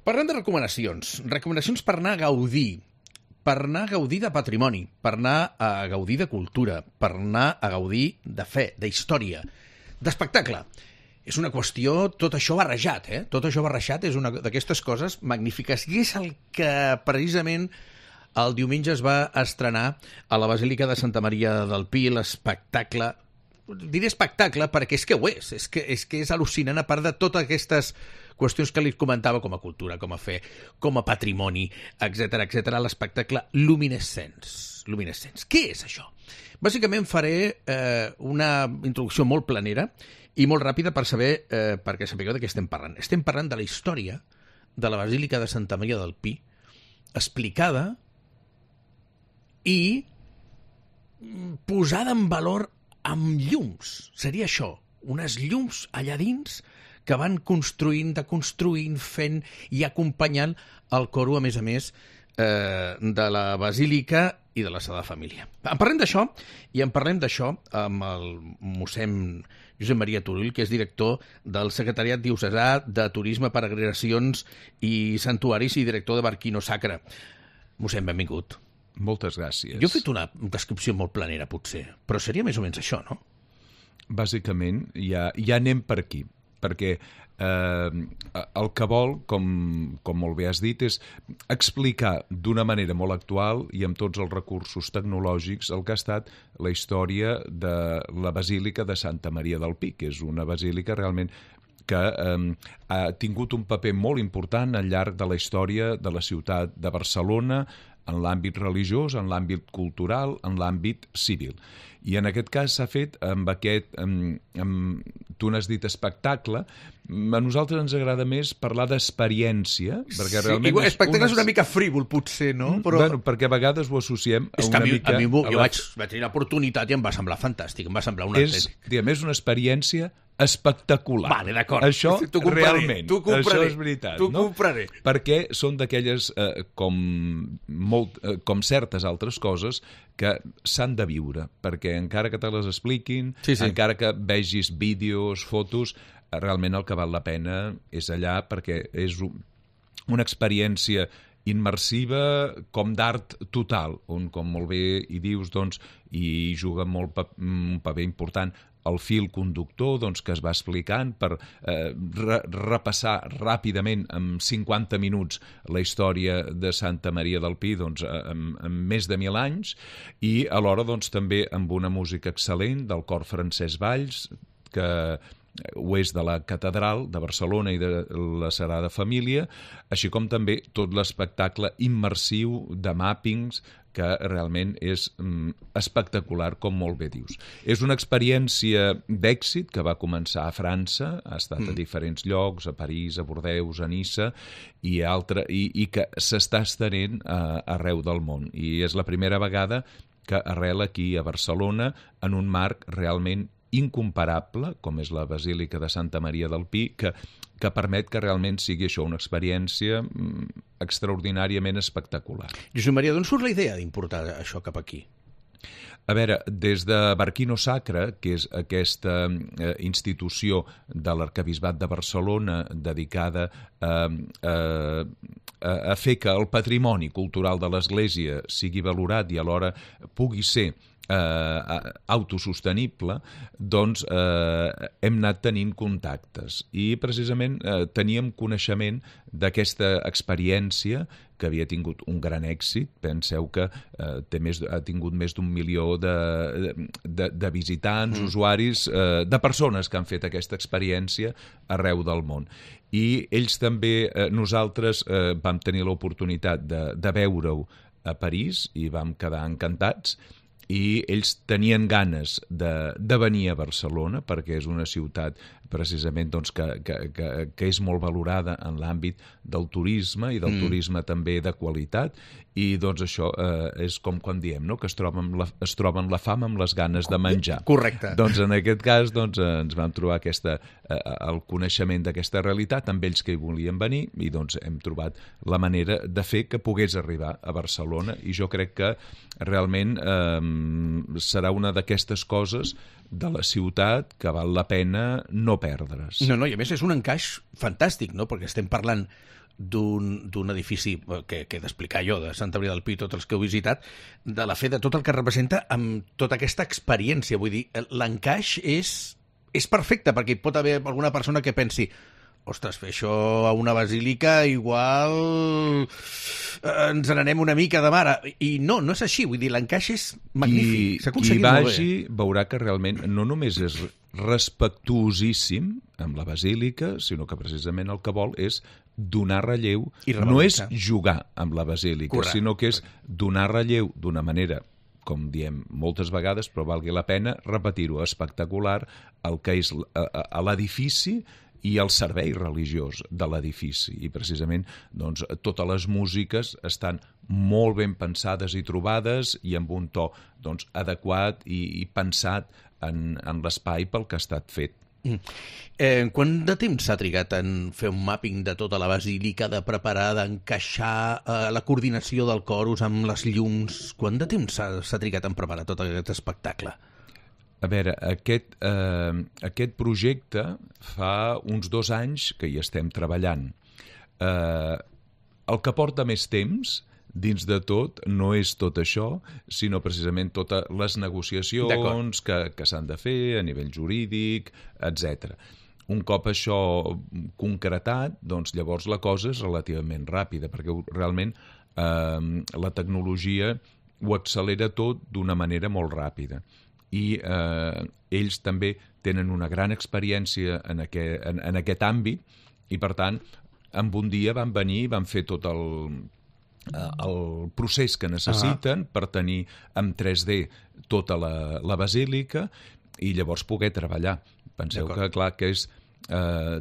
Parlem de recomanacions. Recomanacions per anar a gaudir. Per anar a gaudir de patrimoni, per anar a gaudir de cultura, per anar a gaudir de fe, d'història, d'espectacle. És una qüestió, tot això barrejat, Tot això barrejat és una d'aquestes coses magnífiques. I és el que precisament el diumenge es va estrenar a la Basílica de Santa Maria del Pi, l'espectacle. Diré espectacle perquè és que ho és. És que és al·lucinant, a part de totes aquestes qüestions que li comentava com a cultura, com a fe, com a patrimoni, etc l'espectacle Luminescents. Què és això? Bàsicament faré una introducció molt planera i molt ràpida perquè sapigueu de què estem parlant. Estem parlant de la història de la Basílica de Santa Maria del Pi, explicada i posada en valor amb llums. Seria això, unes llums allà dins que van construint, deconstruint, fent i acompanyant el coro, a més, de la Basílica i de la Sagrada Família. En parlem d'això, i en parlem d'això amb el mossèn Josep Maria Turull, que és director del Secretariat Diocesà de Turisme, Peregrinacions i Santuaris i director de Barquino Sacra. Mossèn, benvingut. Moltes gràcies. Jo he fet una descripció molt planera, potser, però seria més o menys això, no? Bàsicament, ja anem per aquí, perquè el que vol, com molt bé has dit, és explicar d'una manera molt actual i amb tots els recursos tecnològics el que ha estat la història de la Basílica de Santa Maria del Pi, que és una basílica realment que ha tingut un paper molt important al llarg de la història de la ciutat de Barcelona, en l'àmbit religiós, en l'àmbit cultural, en l'àmbit civil. I en aquest cas s'ha fet amb aquest, tu n'has dit espectacle, a nosaltres ens agrada més parlar d'experiència, perquè realment... Sí, espectacle és una mica frívol, potser, no? Però... Bueno, perquè a vegades ho associem a una mica... Jo vaig tenir l'oportunitat i em va semblar fantàstic, em va semblar una... És una experiència espectacular. Vale, d'acord. Això realment, això és veritat. T'ho compraré. Perquè són d'aquelles, com certes altres coses, que s'han de viure, perquè encara que te les expliquin, encara que vegis vídeos, fotos, realment el que val la pena és allà, perquè és una experiència immersiva com d'art total, on, com molt bé hi dius, doncs, hi juga un paper important el fil conductor, doncs, que es va explicant per repassar ràpidament en 50 minuts la història de Santa Maria del Pi, doncs, en més de 1.000 anys, i alhora doncs, també amb una música excel·lent del cor Francesc Valls, que ho és de la Catedral de Barcelona i de la Sagrada Família, així com també tot l'espectacle immersiu de màppings, que realment és espectacular, com molt bé dius. És una experiència d'èxit que va començar a França, ha estat a diferents llocs, a París, a Bordeus, a Niça, i que s'està estenent arreu del món. I és la primera vegada que arrela aquí a Barcelona en un marc realment incomparable, com és la Basílica de Santa Maria del Pi, que permet que realment sigui això una experiència extraordinàriament espectacular. Josep Maria, d'on surt la idea d'importar això cap aquí? A veure, des de Barquino Sacra, que és aquesta institució de l'Arquebisbat de Barcelona dedicada a fer que el patrimoni cultural de l'Església sigui valorat i alhora pugui ser autosostenible, doncs hem anat tenint contactes i precisament teníem coneixement d'aquesta experiència que havia tingut un gran èxit. Penseu que ha tingut més d'1 milió de visitants, usuaris, de persones que han fet aquesta experiència arreu del món. I ells també, nosaltres vam tenir l'oportunitat de veure-ho a París i vam quedar encantats, i ells tenien ganes de venir a Barcelona perquè és una ciutat precisament doncs, que és molt valorada en l'àmbit del turisme i del turisme també de qualitat, i doncs això és com quan diem, no? Que es troben la fam amb les ganes de menjar. Correcte. Doncs en aquest cas ens vam trobar el coneixement d'aquesta realitat amb ells que hi volien venir i doncs hem trobat la manera de fer que pogués arribar a Barcelona, i jo crec que realment serà una d'aquestes coses de la ciutat que val la pena no perdre's. No, i a més és un encaix fantàstic, no? Perquè estem parlant d'un edifici que he d'explicar jo, de Santa Maria del Pi, tots els que heu visitat, de la fe de tot el que representa amb tota aquesta experiència. Vull dir, l'encaix és perfecte, perquè hi pot haver alguna persona que pensi ostres, fer això a una basílica igual ens n'anem una mica de mare. I no és així. Vull dir, l'encaix és magnífic. S'ha aconseguit molt bé. Qui vagi veurà que realment no només és respectuosíssim amb la basílica, sinó que precisament el que vol és donar relleu. No és jugar amb la basílica, correcte, sinó que és donar relleu d'una manera, com diem moltes vegades, però valgui la pena repetir-ho, espectacular, el que és a l'edifici i el servei religiós de l'edifici. I precisament doncs, totes les músiques estan molt ben pensades i trobades i amb un to doncs, adequat i pensat en l'espai pel que ha estat fet. Quant de temps s'ha trigat en fer un mapping de tota la basílica, de preparar, d'encaixar la coordinació del corus amb les llums? Quant de temps s'ha trigat en preparar tot aquest espectacle? A veure, aquest projecte fa uns 2 anys que hi estem treballant. El que porta més temps, dins de tot, no és tot això, sinó precisament totes les negociacions que s'han de fer a nivell jurídic, etc. Un cop això concretat, doncs llavors la cosa és relativament ràpida, perquè realment la tecnologia ho accelera tot d'una manera molt ràpida. I ells també tenen una gran experiència en aquest àmbit i, per tant, en un dia van venir i van fer tot el procés que necessiten per tenir en 3D tota la basílica i llavors poder treballar. Penseu que, clar, que és,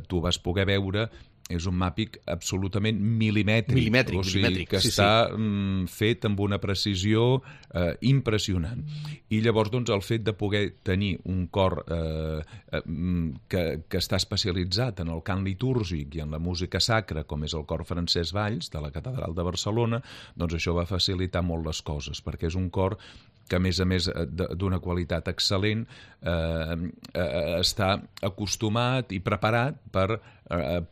tu vas poder veure és un màpic absolutament milimètric, o sigui, que està fet amb una precisió impressionant. I llavors, doncs, el fet de poder tenir un cor que està especialitzat en el cant litúrgic i en la música sacra, com és el cor Francesc Valls, de la Catedral de Barcelona, doncs això va facilitar molt les coses, perquè és un cor que, a més d'una qualitat excel·lent, està acostumat i preparat per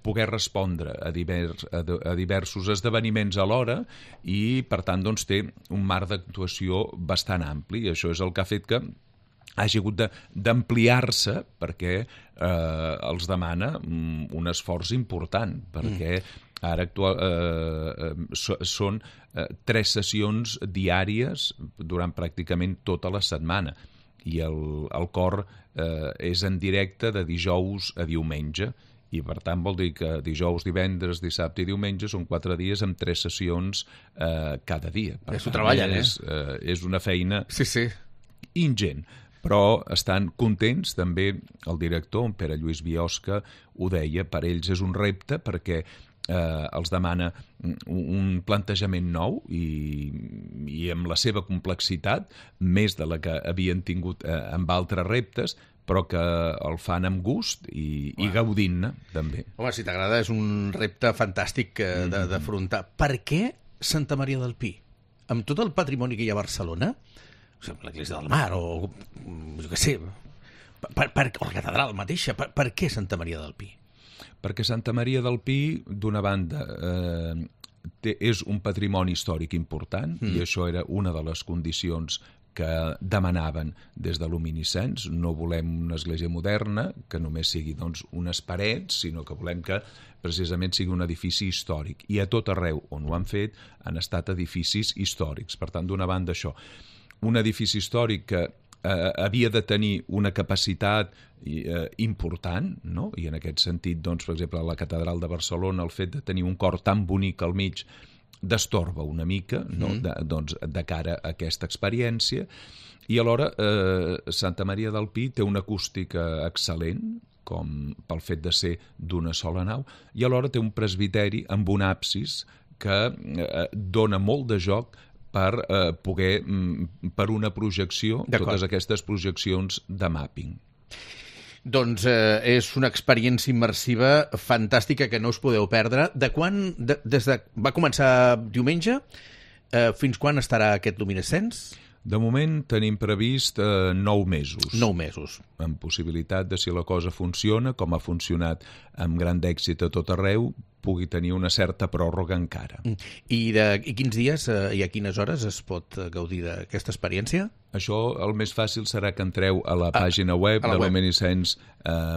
poder respondre a diversos esdeveniments alhora i, per tant, doncs, té un marc d'actuació bastant ampli. I això és el que ha fet que hagi hagut d'ampliar-se perquè els demana un esforç important, perquè ara són 3 sessions diàries durant pràcticament tota la setmana i el cor és en directe de dijous a diumenge i per tant vol dir que dijous, divendres, dissabte i diumenge són 4 dies amb 3 sessions cada dia. S'ho treballen, és una feina ingent. Però estan contents, també el director, en Pere Lluís Biosca, ho deia, per ells és un repte perquè els demana un plantejament nou i amb la seva complexitat, més de la que havien tingut amb altres reptes, però que el fan amb gust i gaudint-ne, també. Home, si t'agrada, és un repte fantàstic d'afrontar. Per què Santa Maria del Pi? Amb tot el patrimoni que hi ha a Barcelona, l'Església del Mar, o jo què sé, o la catedral mateixa, per què Santa Maria del Pi? Perquè Santa Maria del Pi, d'una banda, és un patrimoni històric important, i això era una de les condicions que demanaven des de luminiscents. No volem una església moderna que només sigui doncs, unes parets, sinó que volem que precisament sigui un edifici històric. I a tot arreu on ho han fet han estat edificis històrics. Per tant, d'una banda, això. Un edifici històric que havia de tenir una capacitat important, no? I en aquest sentit, doncs, per exemple, a la Catedral de Barcelona, el fet de tenir un cor tan bonic al mig destorba una mica, no? Doncs, de cara a aquesta experiència. I alhora Santa Maria del Pi té una acústica excel·lent, com pel fet de ser d'una sola nau, i alhora té un presbiteri amb un absis que dona molt de joc per poder, per una projecció, totes aquestes projeccions de mapping. Doncs és una experiència immersiva fantàstica que no us podeu perdre. Va començar diumenge, fins quan estarà aquest luminescents? De moment tenim previst 9 mesos. 9 mesos. Amb possibilitat de, si la cosa funciona, com ha funcionat amb gran èxit a tot arreu, pugui tenir una certa pròrroga encara. I quins dies i a quines hores es pot gaudir d'aquesta experiència? Això el més fàcil serà que entreu a la pàgina web de Luminescence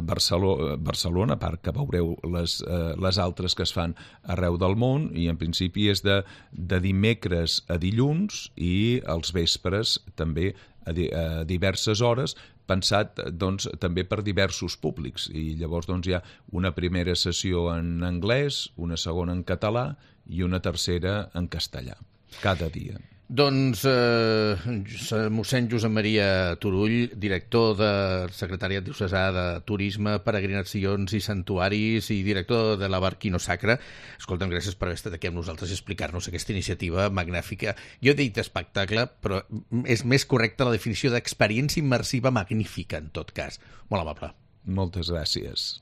Barcelona, a part que veureu les altres que es fan arreu del món, i en principi és de dimecres a dilluns i als vespres també a diverses hores, pensat doncs, també per diversos públics. I llavors doncs, hi ha una primera sessió en anglès, una segona en català i una tercera en castellà, cada dia. Doncs mossèn Josep Maria Turull, director de Secretariat Diocesà de Turisme, Peregrinacions i Santuaris i director de la Barquino Sacra. Escolta'm, gràcies per haver estat aquí amb nosaltres i explicar-nos aquesta iniciativa magnífica. Jo he dit espectacle, però és més correcta la definició d'experiència immersiva magnífica, en tot cas. Molt amable. Moltes gràcies.